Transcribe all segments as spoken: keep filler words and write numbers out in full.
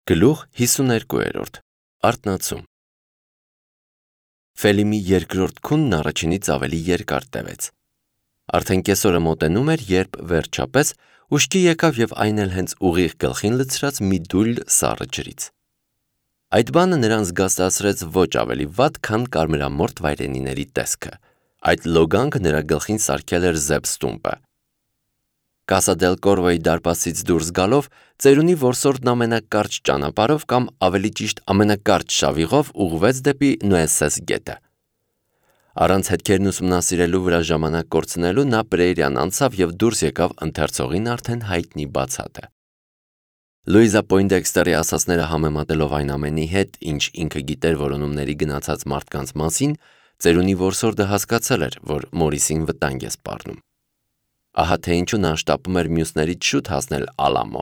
Գլուխ հիսուներկուերորդ Արթնացում Ֆելիմի երկրորդ քունն առաջինից ավելի երկար տևեց։ Արդեն կեսօրը մոտենում էր, երբ վերջապես ուշքի եկավ և այն էլ հենց ուղիղ գլխին լցրած մի դույլ սառը ջրից։ Այդ բանը նրան զգաստացրեց ոչ ավելի վատ, քան կարմրամորթ վայրենիների տեսքը։ Այդ լոգանքը նրա գլխին սարքել էր Զեբստումպը։ Կասա դել Կորվոյի դարպասից դուրս գալով, ծերունի որսորդն ամենակարճ ճանապարհով կամ ավելի ճիշտ ամենակարճ շավիղով ուղղվեց դեպի Նոեսես գետը։ Առանց հետքերն ուսումնասիրելու վրա ժամանակ կորցնելու նա Պրեյրիան անցավ և դուրս եկավ ընթերցողին արդեն հայտնի բացատը։ Լուիզա Պոյնդեքստերի ասածները համեմատելով այն ամենի հետ, ինչ ինքը գիտեր որոնումների գնացած մարդկանց մասին, ծերունի որսորդը հասկացել էր, որ Մորիսին վտանգ է սպառնում։ Ահա թե ինչու նա շտապում էր մյուսներից շուտ հասնել Ալամո,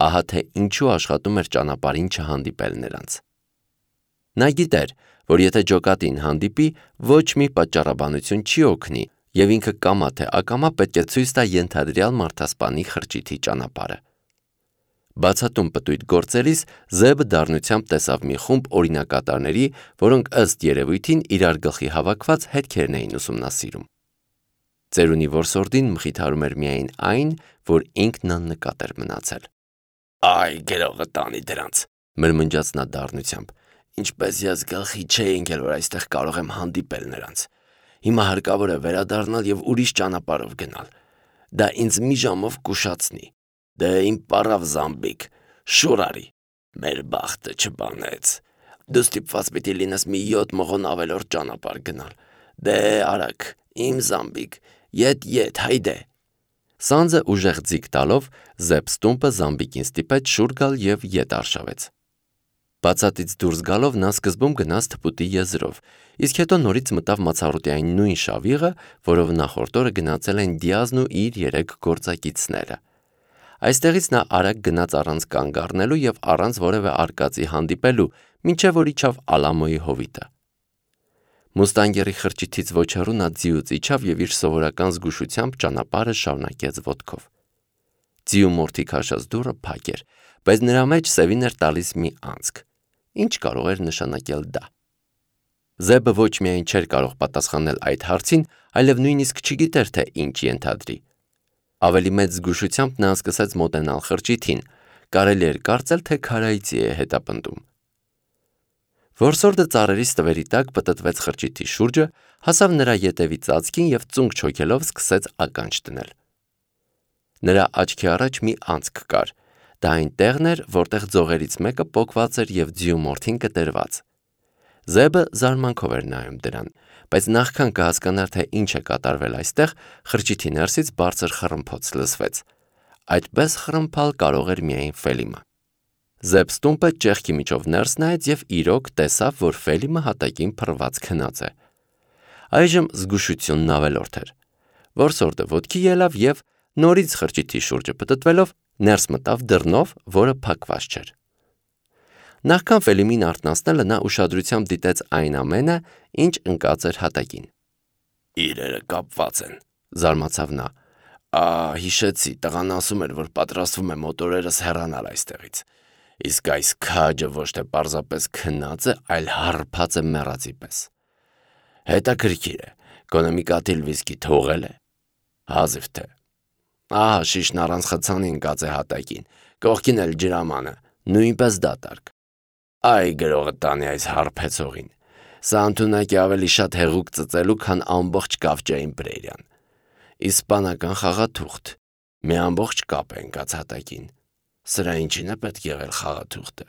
ահա թե ինչու աշխատում էր ճանապարհին չհանդիպել նրանց։ Նա գիտեր, որ եթե ջոկատին հանդիպի, ոչ մի պատճառաբանություն չի օգնի, և ինքը կամա թե ակամա պետք է ցույց տա ենթադրյալ մարդասպանի խրճիթի ճանապարհը։ Բացատում պտույտ գործելիս Զեբը դառնությամբ տեսավ մի խումբ օրինակատարների, որոնք ըստ երևույթին իրար գլխի հավաքված հետքերն էին ուսումնասիրում։ Ծերունի որսորդին մխիթարում էր միայն այն, որ ինքն աննկատ էր մնացել։ «Այ գրողը տանի դրանց», մրմնջաց նա դառնությամբ, «ինչպես ես գլխի չէի ընկել, որ այստեղ կարող եմ հանդիպել նրանց։ Հիմա հարկավոր է վերադառնալ և ուրիշ ճանապարհով գնալ։ Դա ինձ մի ժամով կուշացնի։ Դե իմ պառավ Զամբիկ, շուռ արի, մեր բախտը չբանեց։ Դու ստիպված պիտի լինես մի յոթ մղոն ավելորդ ճանապարհ գնալ։ Դե արագ, իմ Զամբիկ, ետ ետ, հայդե»։ Սանձը ուժեղ ձիգ տալով Զեբստումպը Զամբիկին ստիպեց շուռ գալ և ետ արշավեց։ Բացատից դուրս գալով նա սկզբում գնաց թփուտի եզրով, իսկ հետո նորից մտավ մացառոտյային նույն շավիղը, որով նախորդ օրը գնացել են Դիազն ու իր երեք գործակիցները։ Այստեղից նա արագ գնաց առանց կանգ առնելու և առանց որևէ արկածի հանդիպելու, մինչև որ իջավ Ալամոյի հովիտը։ Մուստանգերի խրճիթից ոչ հեռու նա ձիուց իջավ և իր սովորական զգուշությամբ ճանապարհը շարունակեց ոտքով։ Ձիու մորթի քաշած դուռը փակ էր, բայց նրա մեջ սևին էր տալիս մի անցք։ Ինչ կարող էր նշանակել դա։ Զեբը ոչ միայն չէր կարող պատասխանել այդ հարցին, այլև նույնիսկ չգիտեր, թե ինչ ենթադրի։ Ավելի մեծ զգուշությամբ նա սկսեց մոտենալ խրճիթին, կարելի էր կարծել, թե քարայծի է հետապնդում։ Որսորդը ծառերի ստվերի տակ պտտվեց խրճիթի շուրջը, հասավ նրա ետևի ծածկին և ծունկ չոքելով սկսեց ականջ դնել։ Նրա աչքի առաջ մի անցք կար։ Դա այն տեղն էր, որտեղ ձողերից մեկը պոկված էր և ձիու մորթին կտրված։ Զեբը զարմանքով էր նայում դրան, բայց նախքան կհասկանար, թե ինչ է կատարվել այստեղ, խրճիթի ներսից բարձր խռմփոց լսվեց։ Այդպես խռմփալ կարող էր միայն Ֆելիմը։ Զեբստումպը ճեղքի միջով ներս նայեց և իրոք տեսավ, որ Ֆելիմը հատակին փռված քնած է։ Այժմ զգուշությունն ավելորդ էր։ Որսորդը ոտքի ելավ և, նորից խրճիթի շուրջը պտտվելով, ներս մտավ դռնով, որը փակված չէր։ Նախքան Ֆելիմին արթնացնելը նա ուշադրությամբ դիտեց այն ամենը, ինչ ընկած էր հատակին։ «Իրերը կապված են», զարմացավ նա։ «Ա, հիշեցի, տղան ասում էր, որ պատրաստվում է մոտորերս հեռանալ այստեղից։ Իսկ այս քաջը ոչ թե պարզապես քնած է, այլ հարբած է մեռածի պես։ Հետաքրքիր է, գոնե մի կաթիլ վիսկի թողել է։ Հազիվ թե։ Ահա շիշն առանց խցանի ընկած է հատակին, կողքին էլ ջրամանը, նույնպես դատարկ։ Այ գրողը տանի այս հարբեցողին։ Սա ընդունակ է ավելի շատ հեղուկ ծծելու, քան ամբողջ կավճային Պրեյրիան։ Իսպանական խաղաթուղթ, մի ամբողջ կապ է ընկած հատակին։ Սրա ինչին է պետք եղել խաղաթուղթը։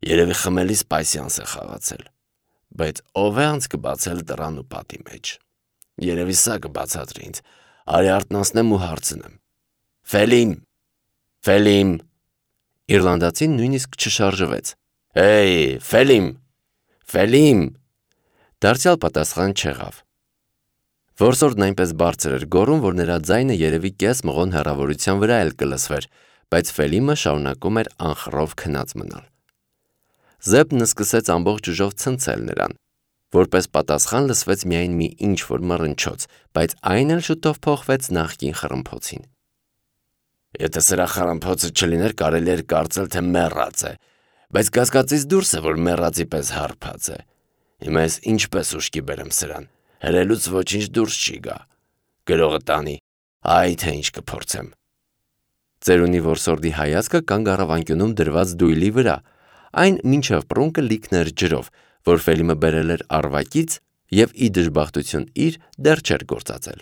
Երևի խմելիս պասյանս է խաղացել։ Բայց ով է անցքը բացել դռան ու պատի մեջ։ Երևի սա կբացատրի ինձ։ Արի արթնացնեմ ու հարցնեմ։ Ֆելիմ, Ֆելիմ։ Իռլանդացին նույնիսկ չշարժվեց։ Հեյ, Ֆելիմ, Ֆելիմ։ Դարձյալ պատասխան չեղավ։ Որսորդն այնպես բարձր էր գոռում, որ նրա ձայնը երևի կես մղոն հեռավորության վրա էլ կլսվեր, բայց Ֆելիմը շարունակում էր անխռով քնած մնալ։ Զեբն սկսեց ամբողջ ուժով ցնցել նրան։ Որպես պատասխան լսվեց միայն մի ինչ-որ մռնչոց, բայց այն էլ շուտով փոխվեց նախկին խռմփոցին։ Եթե սրա խռմփոցը չլիներ, կարելի էր կարծել, թե մեռած է։ բայց կասկածից դուրս է, որ մեռածի պես հարբած է։ Հիմա ես ինչպես ուշքի բերեմ սրան, հրելուց ոչինչ դուրս չի գա։ Գրողը տանի, այ թե ինչ կփորձեմ։ Ծերունի որսորդի հայացքը կանգ առավ անկյունում դրված դույլի վրա, այն մինչև պռունկը լիքն էր ջրով, որ Ֆելիմը բերել էր առվակից և ի դժբախտություն իր դեռ չէր գործածել։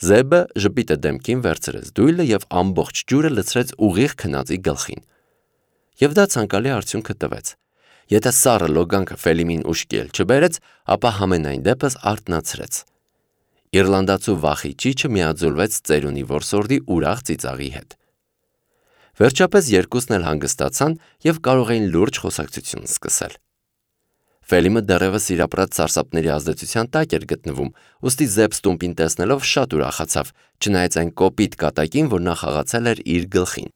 Զեբը ժպիտը դեմքին վերցրեց դույլը և ամբողջ ջուրը լցրեց ուղիղ քնածի գլխին։ Եվ դա ցանկալի արդյունքը տվեց։ Եթե սառը լոգանքը Ֆելիմին ուշքի էլ չբերեց, ապա համենայն դեպս արթնացրեց։ Իռլանդացու վախի ճիչը միաձուլվեց ծերունի որսորդի ուրախ ծիծաղի հետ։ Վերջապես երկուսն էլ հանգստացան և կարող էին լուրջ խոսակցություն սկսել։ Ֆելիմը դեռևս իր ապրած սարսափների ազդեցության տակ էր գտնվում, ուստի Զեբ Ստումպին տեսնելով շատ ուրախացավ, չնայած այն կոպիտ կատակին, որ նա խաղացել էր իր գլխին։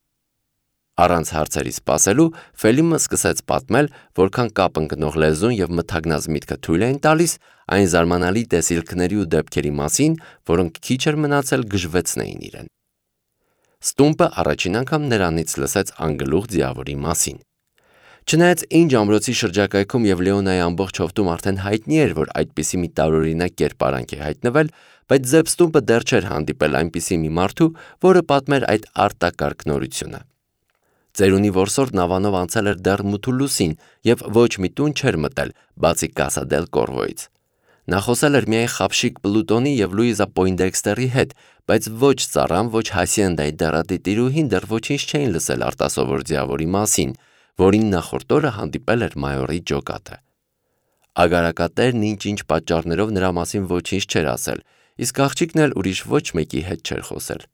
Առանց հարցերի սպասելու Ֆելիմը սկսեց պատմել, որքան կապ ընկնող լեզուն և մթագնած միտքը թույլ էին տալիս այն զարմանալի տեսիլքների ու դեպքերի մասին, որոնք քիչ էր մնացել գժվեցնեին իրեն։ Ստումպը առաջին անգամ նրանից լսեց անգլուխ ձիավորի մասին։ Չնայած Ինջ ամրոցի շրջակայքում և Լեոնայի ամբողջ հովտում արդեն հայտնի էր, որ այդպիսի մի տարօրինակ կերպարանք է հայտնվել, բայց Զեբ Ստումպը դեռ չէր հանդիպել այնպիսի մի մարդու, որը պատմեր այդ արտակարգ նորությունը։ Ծերունի որսորդն ավանով անցել էր դեռ Մութուլուսին և ոչ մի տուն չէր մտել, բացի Կասա դել Կորվոյից։ Նա խոսել էր միայն Խաբշիկ Պլուտոնի և Լուիզա Պոյնդեքստերի հետ, բայց ոչ ծառան, ոչ Հասիենդայի դեռատի տիրուհին դեռ ոչինչ չէին լսել արտասովոր ձիավորի մասին, որին նախորդ օրը հանդիպել էր մայորի ջոկատը։ Ագարակատերն ինչ-ինչ պատճառներով նրա մասին ոչինչ չէր ասել, իսկ աղջիկն էլ ուրիշ ոչ մեկի հետ չէր խոսել։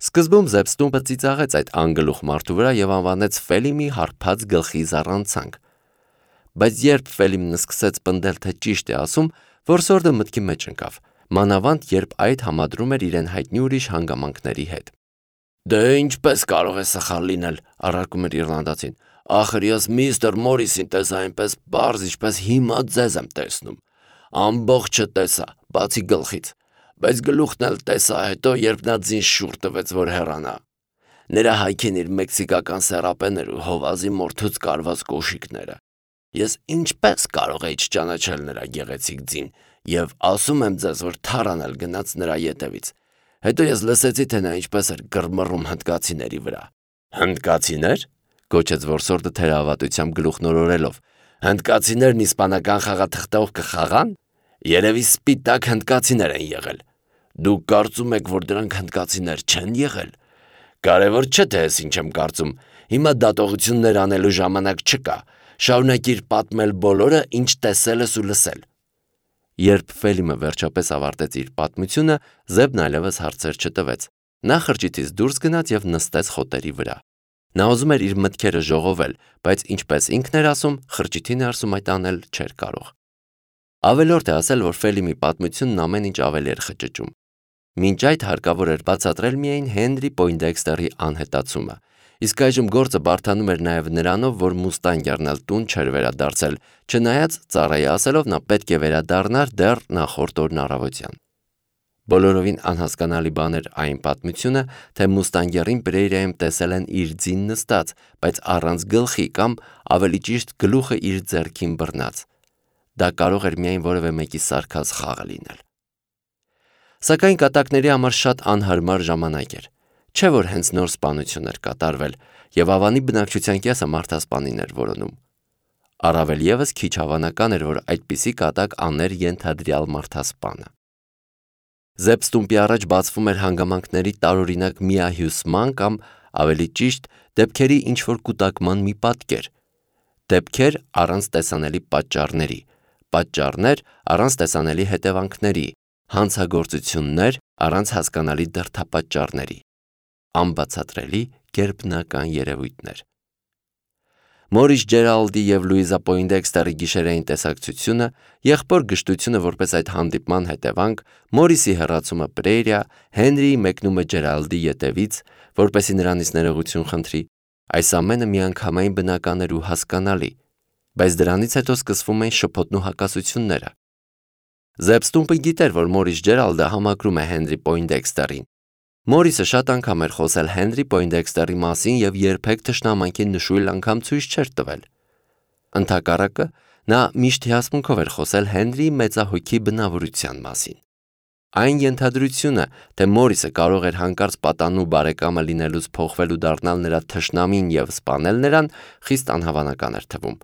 Սկզբում Զեբ Ստումպը ծիծաղեց այդ անգլուխ մարդու վրա և անվանեց Ֆելիմի հարբած գլխի զառանցանք։ Բայց երբ Ֆելիմն սկսեց պնդել, թե ճիշտ է ասում, որսորդը մտքի մեջ ընկավ, մանավանդ երբ այդ համադրում էր իրեն հայտնի ուրիշ հանգամանքների հետ։ Դե ինչպես կարող է սխալ լինել, առարկում էր իռլանդացին։ Ախր ես միստր Մորիսին տեսա այնպես պարզ, ինչպես հիմա ձեզ եմ տեսնում։ Ամբողջը տեսա, բացի գլխից, բայց գլուխն էլ տեսա հետո, երբ նա ձին շուռ տվեց, որ հեռանա։ Նրա հայքին իր մեքսիկական սեռապեներ ու հովազի մորթուց կարված կոշիկները։ Ես ինչպես կարող էի չճանաչել նրա գեղեցիկ ձին և ասում եմ ձեզ, որ թարանալ գնաց նրա ետևից։ Հետո ես լսեցի, թե նա ինչպես էր գրմռում հնդկացիների վրա։ Հնդկացիներ, գոչեց որսորդը թերահավատությամբ գլուխ նորորելով։ Հնդկացիներն իսպանական խաղաթղթով կխաղան։ Երևի սպիտակ հնդկացիներ են եղել։ Դուք կարծում եք, որ դրանք հնդկացիներ չեն եղել։ Կարևոր չէ, թե ես ինչ եմ կարծում։ Հիմա դատողություններ անելու ժամանակ չկա։ Շարունակիր պատմել բոլորը, ինչ տեսել ես ու լսել։ Երբ Ֆելիմը վերջապես ավարտեց իր պատմությունը, Զեբն այլևս հարցեր չտվեց։ Նա խրճիթից դուրս գնաց և նստեց խոտերի վրա։ Նա ուզում էր իր մտքերը ժողովել, բայց ինչպես ինքն էր ասում, խրճիթի ներսում այդ անել չէր կարող։ Ավելորդ է ասել, որ Ֆելիմի պատմությունն ամեն ինչ ավելի էր խճճում։ Մինչ այդ հարկավոր էր բացատրել միայն Հենրի Պոյնդեքստերի անհետացումը, իսկ այժմ գործը բարդանում էր նաև նրանով, որ Մուստանգերն էլ տուն չէր վերադարձել, չնայած ծառայի ասելով նա պետք է վերադառնար դեռ նախորդ օրն առավոտյան։ Բոլորովին անհասկանալի բան էր այն պատմությունը, թե Մուստանգերին Պրեյրայում տեսել են իր ձին նստած, բայց առանց գլխի կամ ավելի ճիշտ գլուխը իր ձեռքին բռնած։ Դա կարող էր միայն որևէ մեկի սարքած խաղը լինել։ Սակայն կատակների համար շատ անհարմար ժամանակ էր։ Չէ՞ որ հենց նոր սպանություն էր կատարվել, և ավանի բնակչության կեսը մարդասպանին էր որոնում։ Առավել ևս քիչ հավանական էր, որ այդպիսի կատակ աներ ենթադրյալ մարդասպանը։ Զեբ Ստումպի առաջ բացվում էր հանգամանքների տարօրինակ միահյուսման կամ, ավելի ճիշտ, դեպքերի ինչ-որ կուտակման մի պատկեր։ Դեպքեր առանց տեսանելի պատճառների, պատճառներ առանց տեսանելի հետևանքների, հանցագործություններ առանց հասկանալի դրդապատճառների, անբացատրելի գերբնական երևույթներ։ Մորիս Ջերալդի և Լուիզա Պոյնդեքստերի գիշերային տեսակցությունը, եղբոր գժտությունը որպես այդ հանդիպման հետևանք, Մորիսի հեռացումը Պրեյրիա, Հենրիի մեկնումը Ջերալդի ետևից, որպեսզի նրանից ներողություն խնդրի, այս ամենը միանգամայն բնական էր ու հասկանալի, բայց դրանից հետո սկսվում էին շփոթն ու հակասությունները։ Զեբ Ստումպը գիտեր, որ Մորիս Ջերալդը համակրում է Հենրի Պոյնդեքստերին, Մորիսը շատ անգամ էր խոսել Հենրի Պոյնդեքստերի մասին եւ երբեք թշնամանքին նշույլ անգամ ցույց չէր տվել։ Ընդհակառակը, նա միշտ հիասմունքով էր խոսել Հենրիի մեծահոգի բնավորության մասին։ Այն ենթադրությունը, թե Մորիսը կարող էր հանկարծ պատանու բարեկամը լինելուց փոխվել ու դառնալ նրա թշնամին եւ սպանել նրան, խիստ անհավանական էր թվում։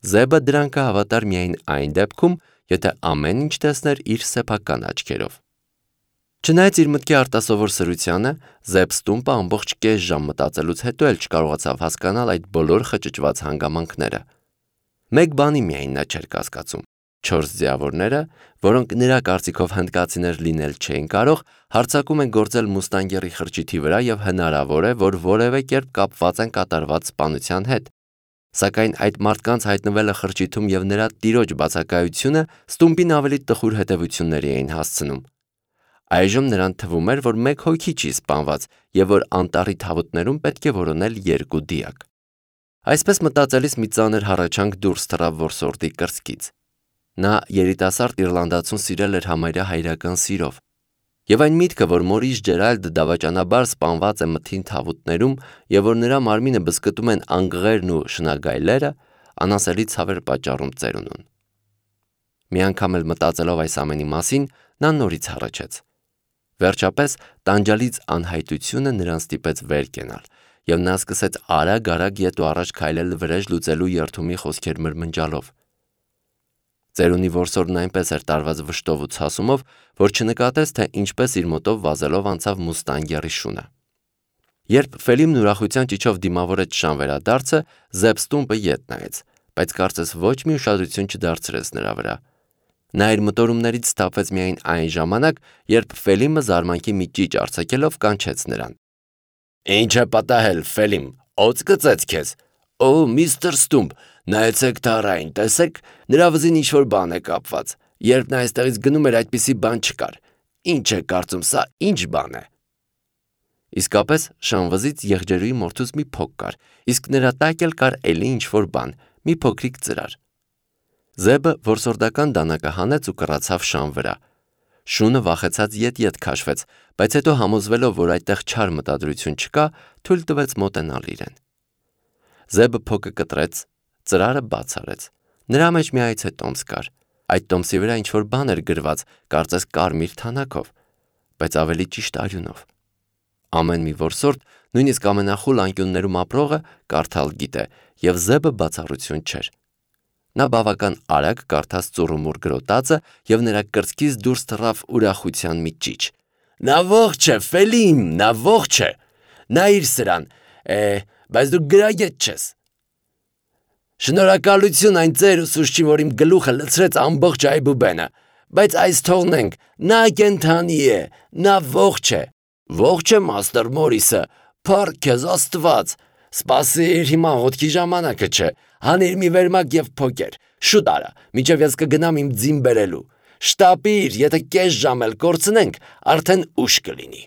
Զեբը դրան կհավատար միայն այն դեպքում, եթե ամեն ինչ տեսներ իր սեփական աչքերով։ Չնայած իր մտքի արտասովոր սրությանը, Զեբ Ստումպը ամբողջ կես ժամ մտածելուց հետո էլ չկարողացավ հասկանալ այդ բոլոր խճճված հանգամանքները։ Մեկ բանի միայն նա չէր կասկածում. չորս ձիավորները, որոնք նրա կարծիքով հնդկացիներ լինել չէին կարող, հարձակում են գործել Մուստանգերի խրճիթի վրա եւ հնարավոր է, որ որևէ կերպ կապված են կատարված սպանության հետ։ Սակայն այդ մարդկանց հայտնվելը խրճիթում եւ նրա տիրոջ բացակայությունը Ստումպին ավելի տխուր հետևությունների էին հասցնում։ Այժմ նրան թվում էր, որ մեկ հոգի չի սպանված եւ որ անտառի թավուտներում պետք է որոնել երկու դիակ։ Այսպես մտածելիս մի ծանր հառաչանք դուրս թռավ որսորդի կրծքից։ Նա երիտասարդ իռլանդացուն սիրել էր համարյա հայրական սիրով, եւ այն միտքը, որ Մորիս Ջերալդը դավաճանաբար սպանված է մթին թավուտներում եւ որ նրա մարմինը բզկտում են անգղերն ու շնագայլերը, անասելի ցավ էր պատճառում ծերունուն։ Մի անգամ էլ մտածելով այս ամենի մասին, նա նորից հառաչեց։ Վերջապես տանջալից անհայտությունը նրան ստիպեց վեր կենալ, եւ նա սկսեց արագ-արագ ետ ու առաջ քայլել վրեժ լուծելու երթումի խոսքեր մրմնջալով։ Ծերունի որսորդն այնպես էր տարված վշտով ու ցասումով, որ չնկատեց, թե ինչպես իր մոտով վազելով անցավ Մուստանգերի շունը։ Երբ Ֆելիմն ուրախության ճիչով դիմավորեց շան վերադարձը, Զեբ Ստումպը ետ նայեց, բայց կարծես ոչ մի ուշադրություն չդարձրեց նրա վրա։ Նա իր մտորումներից սթափվեց միայն այն ժամանակ, երբ Ֆելիմը զարմանքի մի ճիչ արձակելով կանչեց նրան։ «Ինչ է պատահել, Ֆելիմ, օձ գծեց քեզ։ Օ, միստր Ստումպ, նայեցեք դարային, տեսեք, նրա վզին ինչ-որ բան է կապված։ Երբ նա այստեղից գնում էր, այդպիսի բան չկար։ Ինչ է կարծում, սա ինչ բան է»։ Իսկապես շան վզից եղջերուի մորթուց մի փոք կար, իսկ նրա տակ էլ կար էլի ինչ-որ բան, մի փոքրիկ ծրար։ Զեբը որսորդական դանակը հանեց ու կռացավ շան վրա։ Շունը վախեցած ետ-ետ քաշվեց, բայց հետո համոզվելով, որ այդտեղ չար մտադրություն չկա, թույլ տվեց մոտենալ իրեն։ Զեբը փոքը կտրեց, ծրարը բաց արեց։ Նրա մեջ մի այծե տոմս կար։ Այդ տոմսի վրա ինչ-որ բան էր գրված, կարծես կարմիր թանաքով, բայց ավելի ճիշտ արյունով։ Ամեն մի որսորդ, նույնիսկ ամենախուլ անկյուններում ապրողը, կարդալ գիտե, եւ Զեբը բացառություն չէր։ Նա բավական արագ կարդաց ծուռումուռ գրոտածը եւ նրա կրծքից դուրս թռավ ուրախության մի ճիչ։ Նա ողջ է, Ֆելիմ, նա ողջ է։ Նայիր սրան, է, բայց դու գրագետ չես։ Շնորհակալություն այն ծեր ուսուցչին, որ իմ գլուխը լցրեց ամբողջ այբուբենը, բայց այս թողնենք, նա կենդանի է, նա ողջ է։ Ողջ է, մաստեր Մորիսը, փառք քեզ Աստված։ Սպասիր, հիմա հոտքի ժամանակը չէ։ Հանիր մի վերմակ եւ փոկեր։ Շուտ արա, միջև ես կգնամ իմ ձին բերելու։ Շտապիր, եթե կես ժամ էլ կորցնենք, արդեն ուշ կլինի։